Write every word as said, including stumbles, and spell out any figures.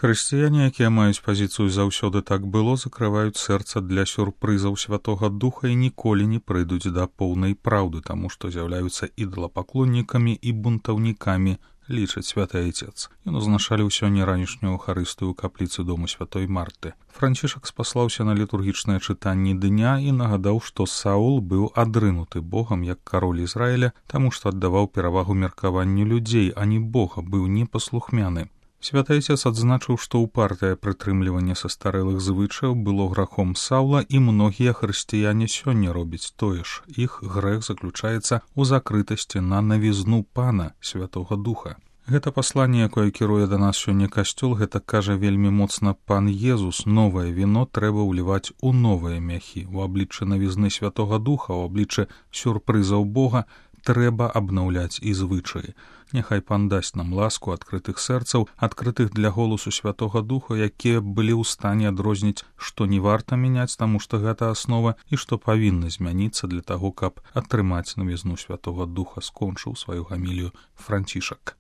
Хрысціяне, якія маюць пазіцыю «заўсёды так было», закрываюць сэрца для сюрпрызаў Святога Духа і ніколі не прыйдуць да поўнай праўды, таму што з'яўляюцца ідалапаклоннікамі і бунтаўнікамі, лічыць святы айцец. Ён узначаліў сёння ранішнюю эўхарыстыю ў капліцы дому святой Марты. Францішак спаслаўся на літургічныя чытанні дня і нагадаў, што Саул быў адрынуты Богам як кароль Ізраіля, таму што аддаваў перавагу меркаванню людзей, а не Бога, быў непаслухмяны. Святы айцец адзначыў, што ўпартае прытрымліванне састарэлых звычаяў было грахом Саўла, і многія хрысціяне сёння робяць тое ж. Іх грэх заключаецца ў закрытасці на навізну Пана, Святога Духа. Гэта пасланне, якое кіруе да нас сёння касцёл, гэта кажа вельмі моцна пан Езус. Новае віно трэба ўліваць у новыя мяхі. У абліччы навізны Святога Духа, у абліччы сюрпрызаў Бога трэба абнаўляць і звычаі. Няхай пан дасць нам ласку адкрытых сэрцаў, адкрытых для голасу Святога Духа, якія былі ў стане адрозніць, што не варта мяняць, таму што гэта аснова, і што павінна змяніцца для таго, каб атрымаць навізну Святога Духа, скончыў сваю гамілію Францішак.